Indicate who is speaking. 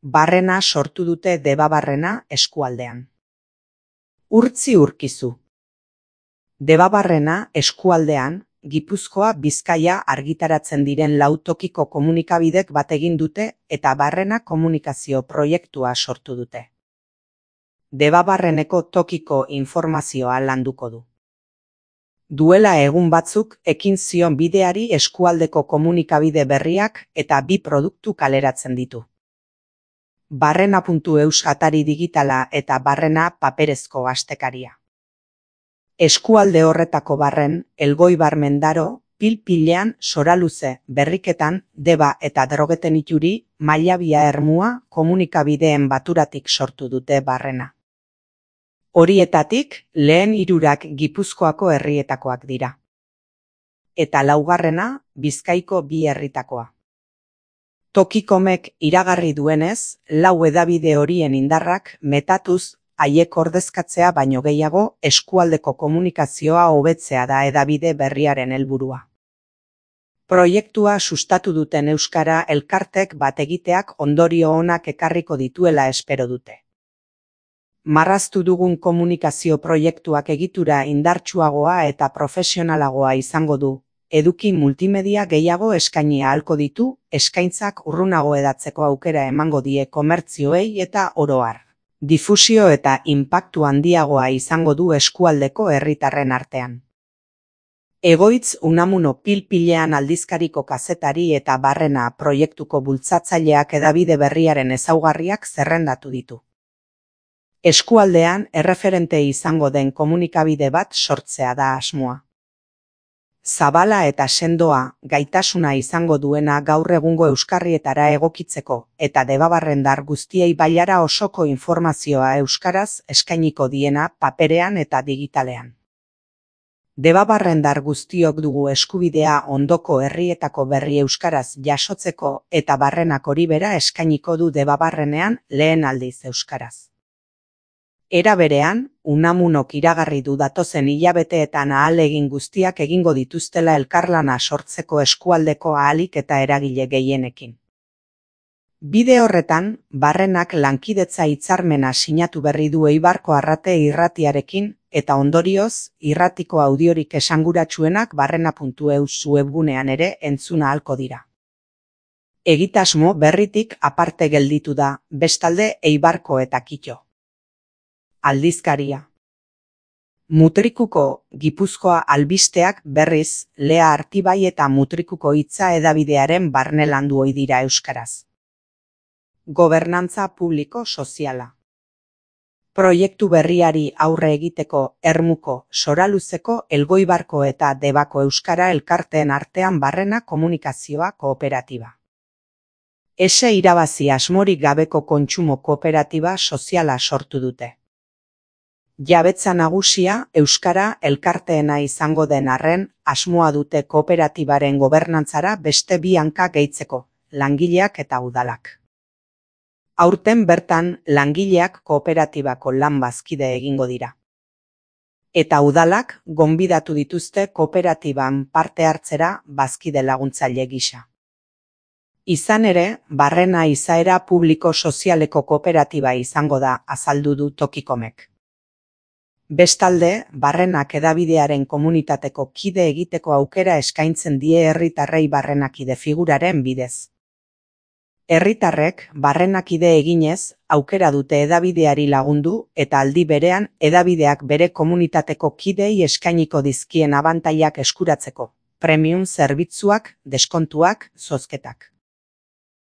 Speaker 1: Barrena sortu dute Debabarrena eskualdean. Urtzi urkizu. Debabarrena eskualdean, Gipuzkoa Bizkaia argitaratzen diren 4 tokiko komunikabidek bat egin dute eta Barrena komunikazio proiektua sortu dute. Debabarreneko tokiko informazioa landuko du. Duela egun batzuk ekin zion bideari eskualdeko komunikabide berriak eta 2 produktu kaleratzen ditu. Barrena.eus atari digitala eta Barrena paperezko astekaria. Eskualde horretako Barren, Elgoibar Mendaro, Pil-Pilean, Soraluze, Berriketan, Deba eta Drogeten Ituri, Mailabia Ermua komunikabideen baturatik sortu dute Barrena. Horietatik, lehen 3 Gipuzkoako herrietakoak dira. Eta 4. Bizkaiko 2 herritakoa. Tokikomek iragarri duenez, 4 hedabide horien indarrak metatuz haiek ordezkatzea baino gehiago eskualdeko komunikazioa hobetzea da hedabide berriaren helburua. Proiektua sustatu duten euskara elkartek bat egiteak ondorio onak ekarriko dituela espero dute. Marraztu dugun komunikazio proiektuak egitura indartsuagoa eta profesionalagoa izango du, eduki multimedia gehiago eskaini ahalko ditu, eskaintzak urrunago hedatzeko aukera emango die komertzioei eta oro har. Difusio eta inpaktu handiagoa izango du eskualdeko herritarren artean. Egoitz Unamuno Pil-Pilean aldizkariko kazetari eta Barrena proiektuko bultzatzaileak hedabide berriaren ezaugarriak zerrendatu ditu. Eskualdean erreferente izango den komunikabide bat sortzea da asmoa. Zabala eta sendoa, gaitasuna izango duena gaur egungo euskarrietara egokitzeko eta debabarrendar guztiei bailara osoko informazioa euskaraz eskainiko diena paperean eta digitalean. Debabarrendar guztiok dugu eskubidea ondoko herrietako berri euskaraz jasotzeko eta Barrenak hori bera eskainiko du Debabarrenean lehen aldiz euskaraz. Era berean, Unamunok iragarri du datozen hilabeteetan ahalegin guztiak egingo dituztela elkarlana sortzeko eskualdeko ahalik eta eragile gehienekin. Bide horretan, Barrenak lankidetza hitzarmena sinatu berri du Eibarko Arrate irratiarekin eta ondorioz, irratiko audiorik esanguratsuenak Barrena.eus webgunean ere entzuna ahalko dira. Egitasmo berritik aparte gelditu da, bestalde Eibarko eta Kito. Aldizkaria. Mutrikuko Gipuzkoa albisteak berriz, Lea Artibai eta Mutrikuko hitza hedabidearen barne landu ohi dira euskaraz. Gobernantza publiko soziala. Proiektu berriari aurre egiteko Ermuko, Soraluzeko, Elgoibarko eta Debako euskara elkarteen artean Barrena komunikazioa kooperatiba. Ese irabazi asmorik gabeko kontsumo kooperatiba soziala sortu dute. Jabetza nagusia euskara elkarteena izango den arren, asmoa dute kooperatibaren gobernantzara beste 2 hanka gehitzeko, langileak eta udalak. Aurten bertan, langileak kooperatibako lan bazkide egingo dira. Eta udalak gonbidatu dituzte kooperatiban parte hartzera bazkide laguntzaile gisa. Izan ere, Barrena izaera publiko sozialeko kooperatiba izango da, azaldu du Tokikomek. Bestalde, Barrenak hedabidearen komunitateko kide egiteko aukera eskaintzen die herritarrei Barrenakide figuraren bidez. Herritarrek Barrenakide eginez, aukera dute hedabideari lagundu eta aldi berean hedabideak bere komunitateko kidei eskainiko dizkien abantailak eskuratzeko, premium zerbitzuak, deskontuak, zozketak.